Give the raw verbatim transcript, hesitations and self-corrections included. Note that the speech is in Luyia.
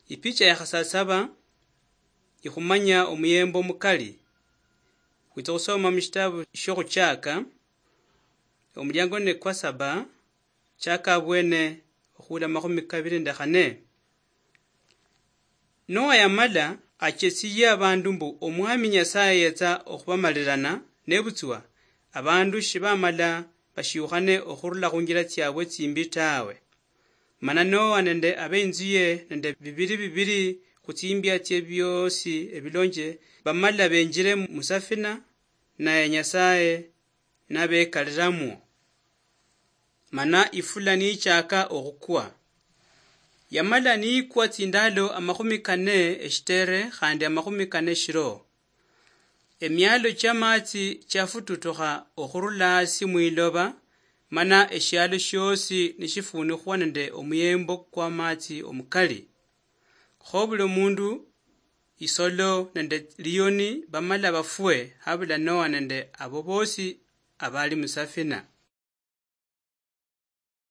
Ipicha ya khasasaba ikhumanya omuyembo mukali. Khwitsa khusoma mushitabu shokhuchaka, omuliango ne kwa saba, chaka abwene okhula makhumi kabili nende khane. Noa yamala achesiye abandu mbu Omwami Nyasaye yetsa okhubamalilana, nebutswa abandu shibamala bashiukhane okhurula khunjila tsiabwe tsimbi tawe. Mana Noa nende abeinzuye nende bibiri bibiri khutsimbia tsie biosi ebilonje bamala benjile musafina, naye Nyasaye nabekalilamwo. Mana ifula niichaka okhukwa. Yamala niikwa tsindalo amakhumi kane eshitere khandi amakhumi kane eshiro. Emialo chiamatsi chiafututukha okhurula hasi mwiloba, mana eshialo shiosi nishifuunikhwa nende omuyembo kw'amatsi omukali. Kho buli omundu, isolo nende liyoni bamala bafwe, habula Noa nende abo bosi abali musafina.